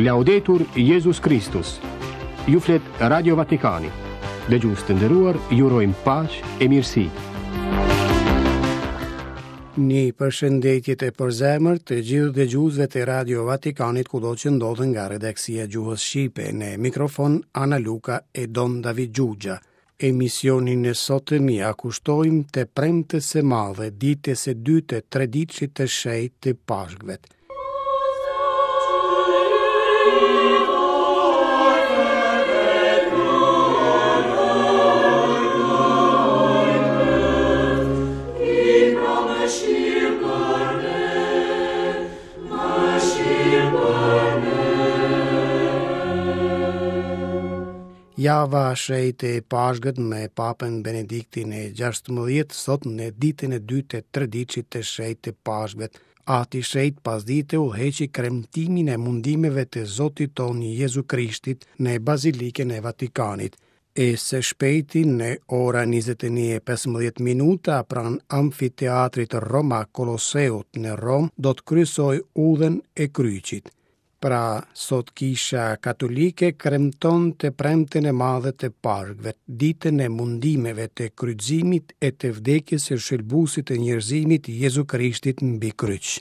Laudetur Jezus Kristus. Ju flet Radio Vatikani. Dëgjues të nderuar, ju urojmë paqe e mirësi. Një përshëndetje të përzemërt të gjithë dëgjuesve të Radio Vatikanit kudo që ndodhen nga redaksia e gjuhës shqipe në mikrofon Ana Luka e Don David Xhuxha. Emisionin e sotëm ia kushtojmë të premtes së madhe, ditës së dytë të treditëshit të shenjtë të Pashkëve. Java e shenjtë e Pashkët me Papën Benediktin e 16 sot në ditën e dytë të treditëshit të shenjtë të Pashkëve. Ati i Shenjtë pasdite udhëheqi kremtimin e mundimeve të Zotit tonë Jezu Krishtit në Bazilikën e Vatikanit. E së shpejti në ora 21:15 minuta pranë amfiteatrit Roma Koloseut në Romë do të kryesojë udhën e kryqit. Pra, sot Kisha Katolike kremton të premten e madhe të Pashkëve, ditën e mundimeve të kryqëzimit e të vdekjes së shëlbuesit të njerëzimit Jezu Krishtit mbi kryq.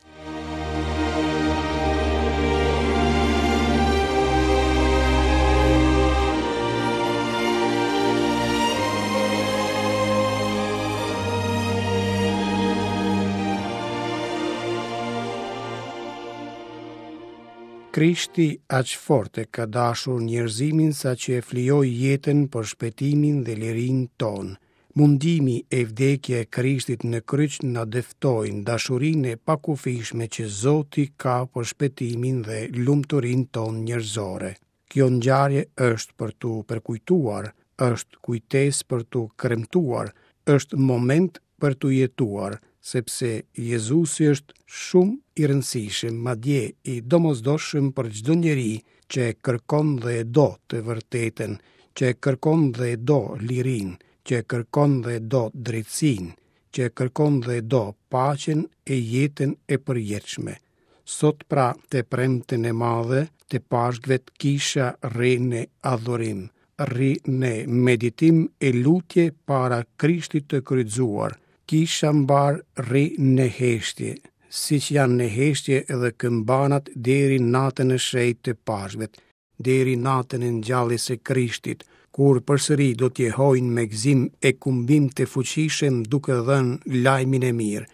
Krishti aq fort e ka dashur njerëzimin saqë e flijoi jetën për shpëtimin dhe lirinë tonë. Mundimi e vdekja e Krishtit në kryq na dëftojnë dashurinë e pakufishme që Zoti ka për shpëtimin dhe lumturinë tonë njerëzore. Kjo ngjarje është për t'u përkujtuar, është kujtesë për t'u kremtuar, është moment për t'u jetuar, sepse Jezusi është shumë i rëndësishëm, madje i domosdoshëm për çdo njeri që e kërkon dhe e do të vërtetën, që e kërkon dhe e do lirinë, që e kërkon dhe e do drejtësinë, që e kërkon dhe e do paqen e jetën e përjetshme. Sot pra të premten e madhe të Pashkëve kisha rri në adhurim, rri në meditim e lutje para Krishtit të kryqëzuar. Kisha mbarë rri në heshtje, siç janë në heshtje edhe këmbanat deri natën e shenjtë të Pashkëve. deri natën e ngjalljes së Krishtit, kur përsëri do të jehojnë me gëzim e kumbim të fuqishëm duke dhënë lajmin e mirë,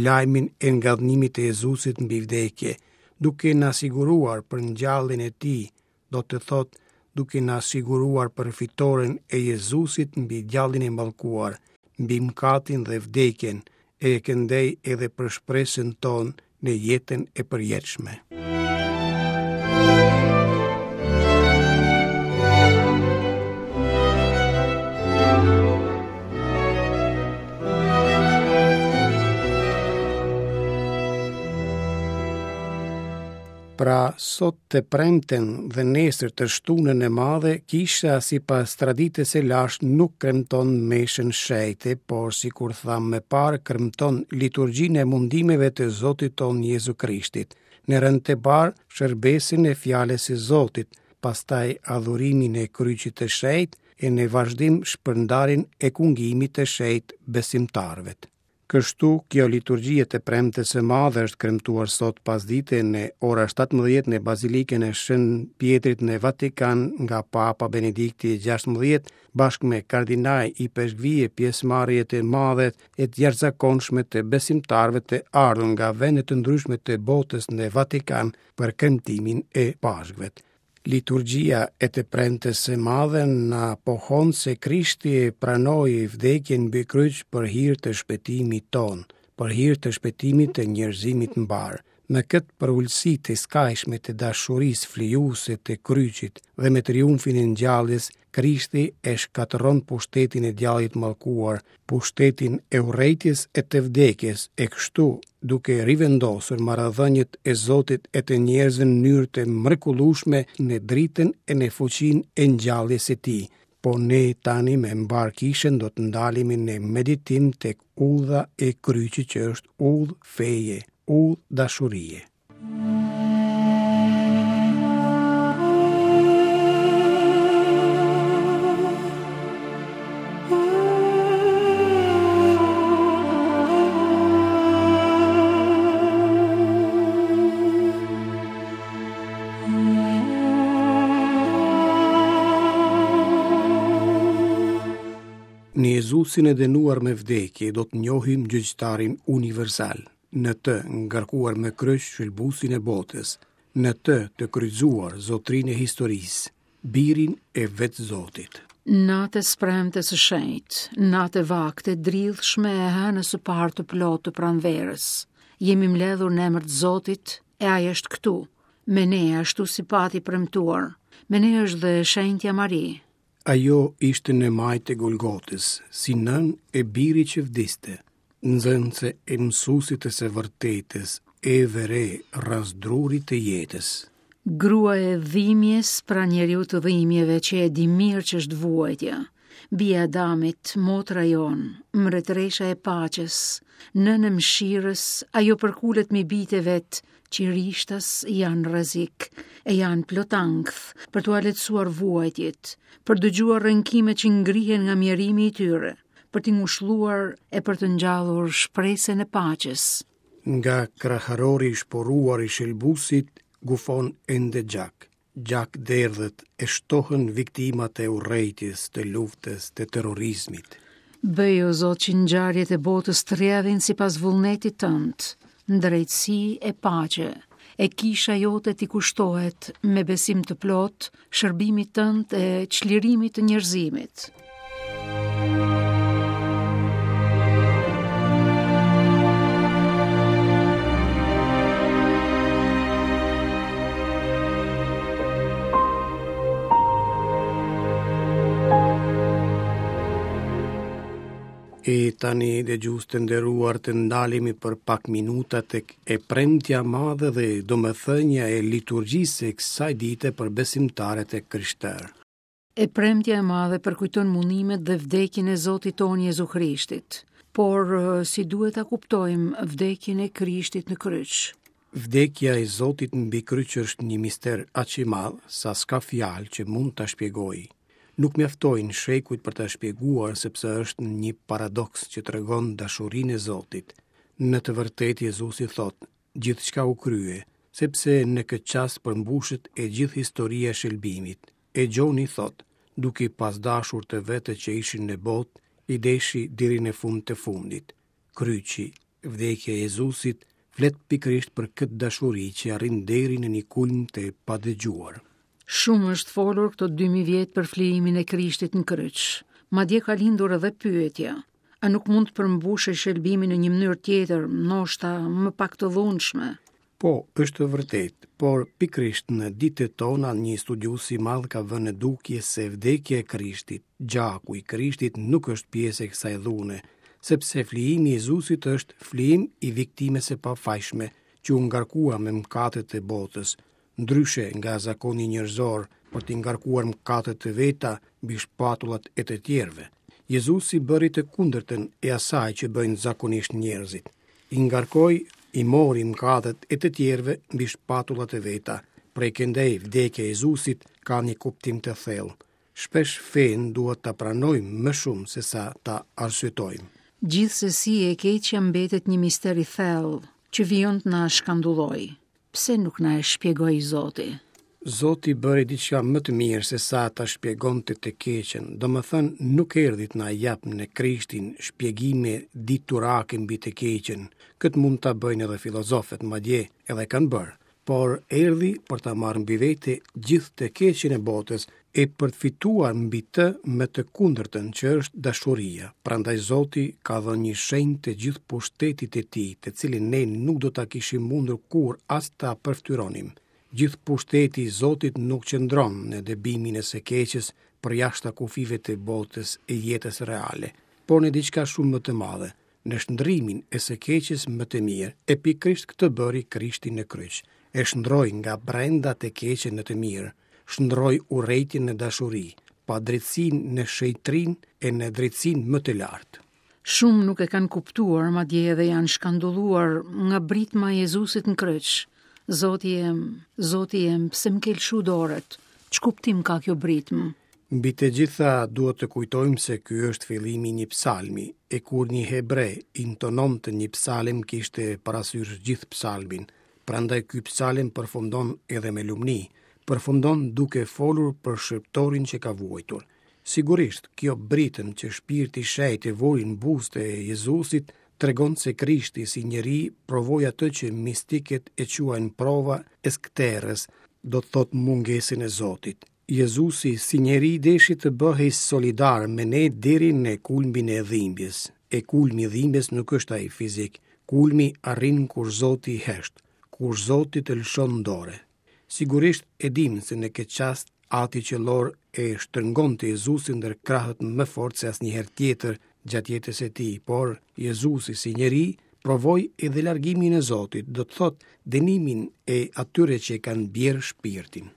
lajmin e ngadhnimit të Jezusit mbi vdekje, duke na siguruar për ngjalljen e tij, do të thotë duke na siguruar për fitoren e Jezusit mbi djallin e mallkuar, mbi mëkatin dhe vdekjen, e këndej edhe për shpresën tonë në jetën e përjetshme. Pra, sot të premten dhe nesër të shtunën e madhe, kisha sipas traditës së lashtë nuk kremton meshën shenjte, por sikur thamë më parë kremton liturgjinë e mundimeve të Zotit tonë Jezu Krishtit. Në rend të parë, shërbesën e fjalës së Zotit, pastaj adhurimin e kryqit të shenjtë e në vazhdim shpërndarjen e kungimit të shenjtë besimtarëve. Kështu, kjo liturgji e të premtes së madhe është kremtuar sot pasdite në ora 17 në Bazilikën e Shën Pjetrit në Vatikan nga Papa Benedikti i 16 bashkë me kardinaj, ipeshkvij e pjesëmarrje të madhe e të jashtëzakonshme të besimtarëve të ardhur nga vende të ndryshme të botës në Vatikan për kremtimin e Pashkëve. Liturgjia e të premtes së madhe na pohon se Krishti e pranoi vdekjen mbi kryq për hir të shpëtimit tonë, për hir të shpëtimit të njerëzimit mbarë. Me këtë përulësi të skajshme të dashurisë flijuese të kryqit dhe me triumfin e ngjalljes, Krishti e shkatërron pushtetin e djallit mallkuar, pushtetin e urrejtjes e të vdekjes, e kështu duke rivendosur marrëdhëniet e Zotit e të njerëzve në mënyrë të mrekullueshme në dritën e në fuqinë e ngjalljes së tij. Po ne tani me mbarë kishën do të ndalemi në meditim tek udha e kryqit që është udhë feje, udhë dashurie. Në Jezusin e dënuar me vdekje do të njohim gjyqtarin universal, në të ngarkuar me kryq shëlbuesin e botës, në të të kryqëzuar zotërinë e historisë, birin e vetë Zotit. Natë e së premtes së shenjtë, natë e vaktë e dridhshme e hënës së parë të plotë të pranverës. Jemi mbledhur në emër të Zotit e ai është këtu, me ne ashtu si pati premtuar. Me ne është dhe shenjtja Mari. Ajo ishte në majë të Golgotës, si nënë e birit që vdiste, nxënëse e mësuesit të së vërtetës, e vë re rrëzë drurit të jetës. Grua e dhimbjes pranë njeriut të dhimbjeve që e di mirë ç'është vuajtja. Bija e Adamit, motra jonë, mbretëresha e paqes, nënë e mëshirës, ajo përkulet mbi bijtë e vet që rishtas janë në rrezik e janë plot ankth për t'ua lehtësuar vuajtjet, për të dëgjuar rënkimet që ngrihen nga mjerimi i tyre, për t'i ngushëlluar e për të ngjallur shpresën e paqes. Nga kraharori i shporuar i shëlbuesit gufon ende gjak. Gjak derdhet e shtohen viktimat e urrejtjes, të luftës, të terrorizmit. Bëj o Zot që ngjarjet e botës të rrjedhin sipas vullnetit tënd, në drejtësi e paqe, e kisha jote t'i kushtohet me besim të plotë shërbimit tënd e çlirimit të njerëzimit. E tani dëgjues të nderuar të ndalemi për pak minuta tek e premtja e madhe dhe domethënia e liturgjisë së kësaj dite për besimtarët e krishterë. E premtja e madhe përkujton mundimet dhe vdekjen e Zotit tonë Jezu Krishtit. Por si duhet ta kuptojmë vdekjen e Krishtit në kryq? Vdekja e Zotit mbi kryq është një mister aq i madh sa s'ka fjalë që mund ta shpjegojë. Nuk mjaftojnë shekujt për ta shpjeguar sepse është një paradoks që tregon dashurinë e Zotit. Në të vërtetë Jezusi thotë, gjithçka u krye, sepse në këtë çast përmbushet e gjithë historia e shëlbimit. E Gjoni thotë, duke i pas dashur të vetët që ishin në botë, i deshi deri në fund të fundit. Kryqi, vdekja e Jezusit, flet pikërisht për këtë dashuri që arrin deri në një kulm të padëgjuar. Shumë është folur këto 2000 vjet për flijimin e Krishtit në kryq. Madje ka lindur edhe pyetja, a nuk mund të përmbushej shëlbimi në një mënyrë tjetër, ndoshta më pak të dhunshme? Po, është e vërtetë, por pikërisht në ditët tona një studiues i madh ka vënë në dukje se vdekja e Krishtit, gjaku i Krishtit nuk është pjesë e kësaj dhune, sepse flijimi i Jezusit është flijim i viktimës së pafajshme që u ngarkua me mëkatet e botës, ndryshe nga zakoni njerëzor për t'i ngarkuar mëkatet e veta mbi shpatullat e të tjerëve. Jezusi bëri të kundërtën e asaj që bëjnë zakonisht njerëzit. I ngarkoi, i mori mëkatet e të tjerëve mbi shpatullat e veta. Prej këndej vdekja e Jezusit ka një kuptim të thellë. Shpesh fenë duhet ta pranojmë më shumë sesa ta arsyetojmë. Gjithsesi e keqja mbetet një mister i thellë që vijon të na shkandullojë. Pse nuk na e shpjegoi Zoti? Zoti bëri diçka më të mirë se sa ta shpjegonte të keqen, domethënë nuk erdhi të na japë në Krishtin shpjegime diturake mbi të keqen, këtë mund ta bëjnë edhe filozofët, madje edhe kanë bërë, por erdhi për ta marrë mbi vete gjithë të keqen e botës e për të fituar mbi të me të kundërtën që është dashuria. Prandaj Zoti ka dhënë një shenjë të gjithë pushtetit të tij, të cilin ne nuk do ta kishim mundur kurrë as ta përfytyronim. Gjithë pushteti i Zotit nuk qëndron në dëbimin e së keqes përjashta kufijve të botës e jetës reale, por në diçka shumë më të madhe, në shndërrimin e së keqes në të mirë, e pikërisht këtë bëri Krishti në kryq. E shndërroi nga brenda të keqen në të mirë, shndërroi urrejtjen në dashuri, padrejtësinë në shenjtërinë e në drejtësinë më të lartë. Shumë nuk e kanë kuptuar, madje edhe janë shkandulluar nga britma e Jezusit në kryq. Zoti jem, Zoti jem, pse më ke lëshu dorët? Ç'kuptim ka kjo britmë? Mbi të gjitha duhet të kujtojmë se ky është fillimi i një psalmi, e kur një hebre intononte një psalm kishte parasysh gjithë psalmin, prandaj ky psalm përfundon edhe me lumni, përfundon duke folur për shërbëtorin që ka vuajtur. Sigurisht, kjo britëm që Shpirti i Shenjtë e vuri në buzët e Jezusit tregon se Krishti si njeri provoi atë që mistikët e quajnë prova e skëterrës, do të thotë mungesën e Zotit. Jezusi si njeri deshi të bëhej solidar me ne deri në kulmin e dhimbjes. E kulmi i dhimbjes nuk është ai fizik. Kulmi arrin kur Zoti hesht, kur Zoti të lëshon dorë. Sigurisht e dimë se në këtë çast Ati Qiellor e shtrëngonte Jezusin ndër krahët më fort se asnjëherë tjetër gjatë jetës së tij, por Jezusi si njeri provoi edhe largimin e Zotit, do të thotë dënimin e atyre që e kanë bjerë shpirtin.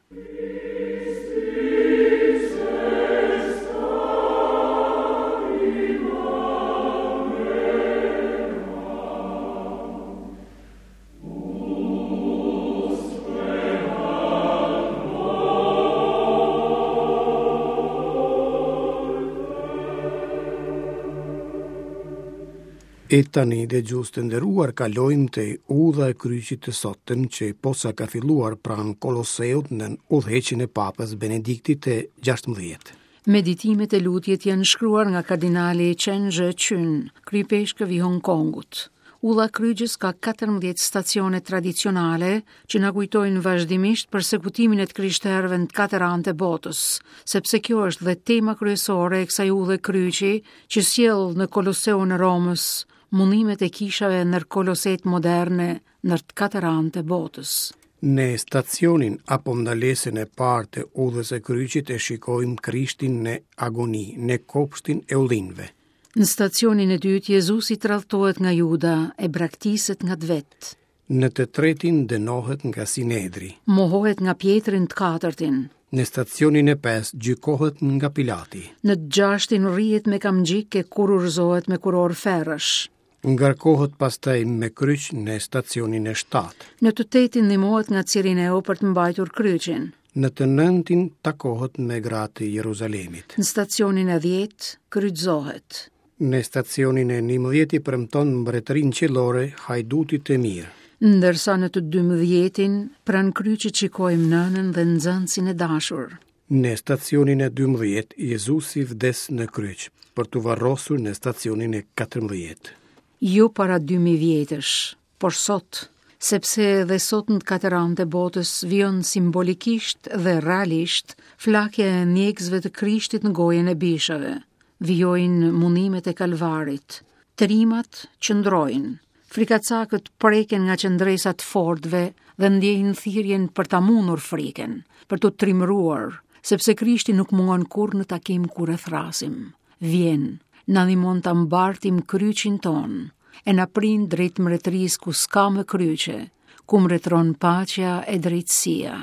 E tani dëgjues të nderuar kalojmë te udha e kryqit të sotëm që posa ka filluar pranë Koloseut nën udhëheqjen e Papës Benediktit të 16. Meditimet e lutjet janë shkruar nga kardinali Chen Zhëqun, kryeipeshkëv i Hong Kongut. Udha e Kryqit ka 14 stacione tradicionale që na kujtojnë vazhdimisht persekutimin e të krishterëve në të katër anët e botës, sepse kjo është dhe tema kryesore e kësaj udhe kryqi që sjell në Koloseun e Romës mundimet e kishave ndër kolosetë moderne ndër të katër anët e botës. Në stacionin apo ndalesën e parë të udhës së kryqit e shikojmë Krishtin në agoni, në kopshtin e ullinjve. Në stacionin e dytë Jezusi tradhtohet nga Juda e braktiset nga të vetë. Në të tretin dënohet nga Sinedri. Mohohet nga Pjetri në të katërtin. Në stacionin e pestë gjykohet nga Pilati. Në të gjashtin rrihet me kamxhik e kurorëzohet me kurorë ferrësh. Ngarkohet pastaj me kryq në stacionin e shtatë. Në të tetin ndihmohet nga Cirineu për të mbajtur kryqin. Në të nëntin takohet me gratë e Jeruzalemit. Në stacionin e dhjetë kryqëzohet. Në stacionin e njëmbëdhjetë i premton mbretërinë qiellore hajdutit të mirë. Ndërsa në të dymbëdhjetin, pranë kryqit shikojmë nënën dhe nxënësin e dashur. Në stacionin e 12, Jezusi vdes në kryq, për t'u varrosur në stacionin e 14. Jo para 2000 vjetësh, por sot, sepse edhe sot në të katër anët e botës vijon simbolikisht dhe realisht flakja e ndjekësve të Krishtit në gojën e bishave. Vijojnë mundimet e Kalvarit. Trimat qëndrojnë. Frikacakët preken nga qëndresa e të fortëve dhe ndjejnë thirrjen për ta mundur frikën, për t'u trimëruar, sepse Krishti nuk mungon kurrë në takim kur e thërrasim. Vjen, na ndihmon ta mbartim kryqin tonë, e na prin drejt mbretërisë ku s'ka më kryqe, ku mbretëron paqja e drejtësia.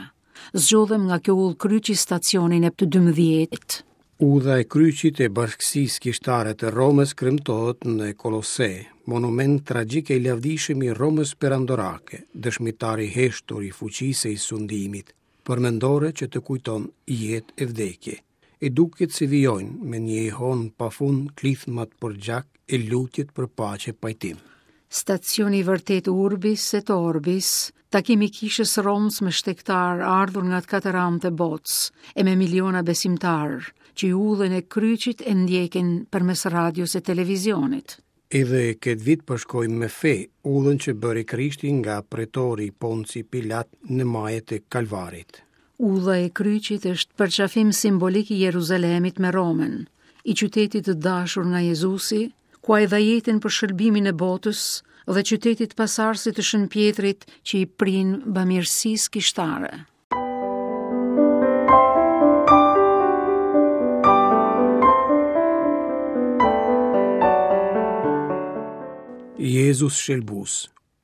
Zgjodhëm nga kjo udhë kryqi stacionin e të 12. Udha e kryqit e Bashkësisë Kishtare të Romës kremtohet në Kolose, monument tragjik e i lavdishëm i Romës perandorake, dëshmitar i heshtur i fuqisë e i sundimit, përmendore që të kujton jetë e vdekje. E duket se vijojnë me një jehonë pa fund klithmat për gjak e lutjet për paqe e pajtim. Stacioni i vërtetë Urbis et Orbis, takimi i kishës së Romës me shtegtarë ardhur nga të katër anët e botës e me miliona besimtarë që udhën e kryqit e ndjekin përmes radios e televizionit. Edhe këtë vit përshkojmë me fe udhën që bëri Krishti nga pretori Ponci Pilat në maje të Kalvarit. Udha e kryqit është përqafim simbolik i Jeruzalemit me Romën, i qytetit të dashur nga Jezusi, ku ai dha jetën për shëlbimin e botës dhe qytetit pasardhësit të Shën Pjetrit që i prin bamirësisë kishtare. Jezus Shëlbues,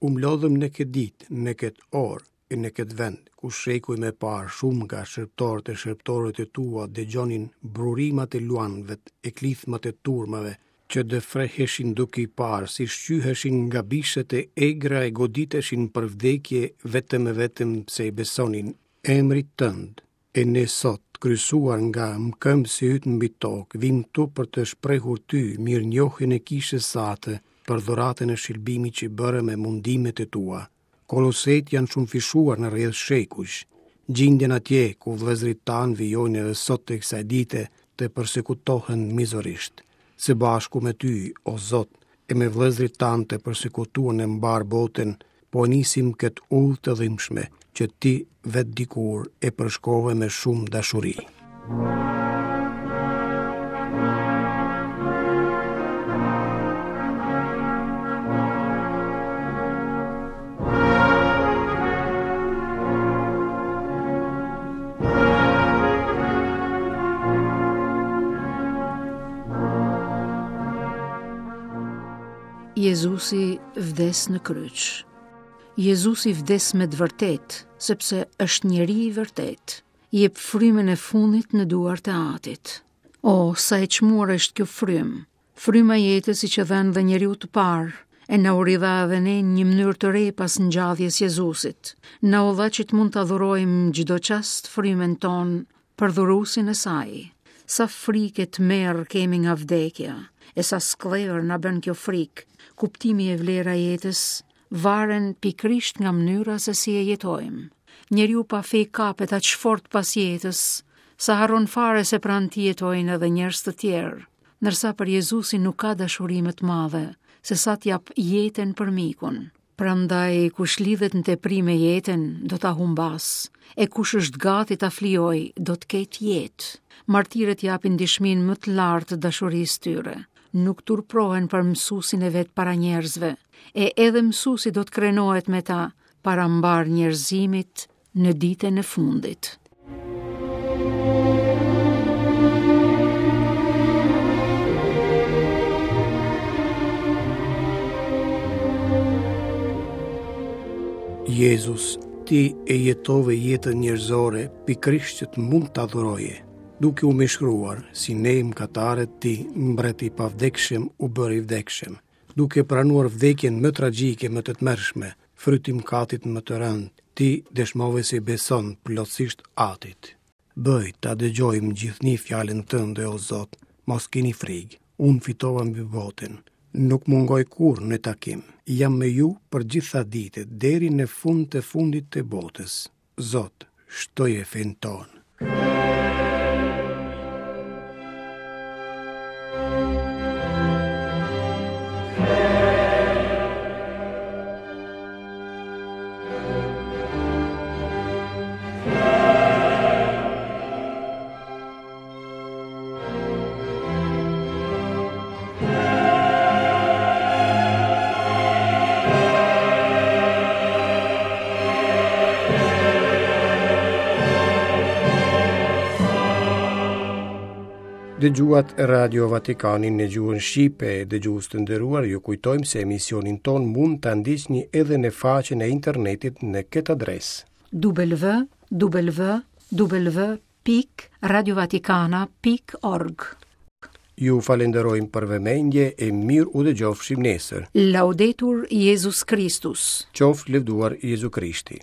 u mblodhëm në këtë ditë, në këtë orë e në këtë vend, ku shekuj më parë shumë nga shërbëtorët e shërbëtoret e tua dëgjonin brurimat e luanëve e klithmat e turmave, që dëfreheshin duke i parë si shqyheshin nga bishat e egra e goditeshin për vdekje vetëm e vetëm pse i besonin emrit tënd. E ne sot, të kryqëzuar nga mëkëmbësi yt mbi tokë, vijmë këtu për të shprehur ty mirënjohjen e kishës sate për dhuratën e shëlbimit që bëre me mundimet e tua. Kolosetë janë shumëfishuar në rrjedhë shekujsh. Gjinden atje ku vëllezërit tanë vijojnë edhe sot e kësaj dite. të persekutohen mizorisht. Së bashku me ty, o Zot, e me vëllezërit tanë të persekutuar në mbarë botën, po e nisim këtë udhë të dhimbshme që ti vetë dikur e përshkove me shumë dashuri. Jezusi vdes në kryq. Jezusi vdes me të vërtetë, sepse është njeri i vërtetë. Jep frymën e fundit në duart e Atit. O, sa e çmuar është kjo frymë. Fryma e jetës i qe dhënë dhe njeriut të parë, e na u ridha edhe ne në një mënyrë të re pas ngjalljes Jezusit. Na u dha që të mund ta dhurojmë çdo çast frymën tonë për dhuruesin e saj. Sa frikë e tmerr kemi nga vdekja, e sa skllevër na bën kjo frikë, kuptimi e vlera e jetës varen pikërisht nga mënyra se si e jetojmë. Njeriu pa fe kapet aq fort pas jetës, sa harron fare se pranë tij jetojnë edhe njerëz të tjerë. Ndërsa për Jezusin nuk ka dashuri më të madhe se sa të japë jetën për mikun. Prandaj kush lidhet në tepri me jetën, do ta humbasë, e kush është gati ta flijojë, do të ketë jetë. Martirët japin dëshminë më të lartë të dashurisë tyre. Nuk turprohen për mësuesin e vet para njerëzve, e edhe mësuesi do të krenohet me ta para mbarë njerëzimit në ditën e fundit. Jezus, ti e jetove jetën njerëzore pikërisht që të mund ta dhuroje, duke u mishëruar si ne mëkatarët ti, mbret i pavdekshëm u bëre i vdekshëm, duke pranuar vdekjen më tragjike, më të tmerrshme, fryt i mëkatit më të rëndë, ti dëshmove se i beson plotësisht Atit. Bëj ta dëgjojmë gjithnjë fjalën tënde, o Zot, mos kini frikë, unë fitova mbi botën. Nuk mungoj kurrë në takim. Jam me ju për gjitha ditët, deri në fund të fundit të botës. Zot, shtoje fenë tonë. Dëgjuat Radio Vatikanin në gjuhën shqipe, dëgjues të nderuar, ju kujtojmë se emisionin tonë mund ta ndiqni edhe në faqen e internetit në këtë adresë. www pikë radiovatikana pikë org. Ju falenderojmë për vëmendje e mirë u dëgjofshim nesër. Laudetur Jezus Kristus. Qoftë lëvduar Jezu Krishti.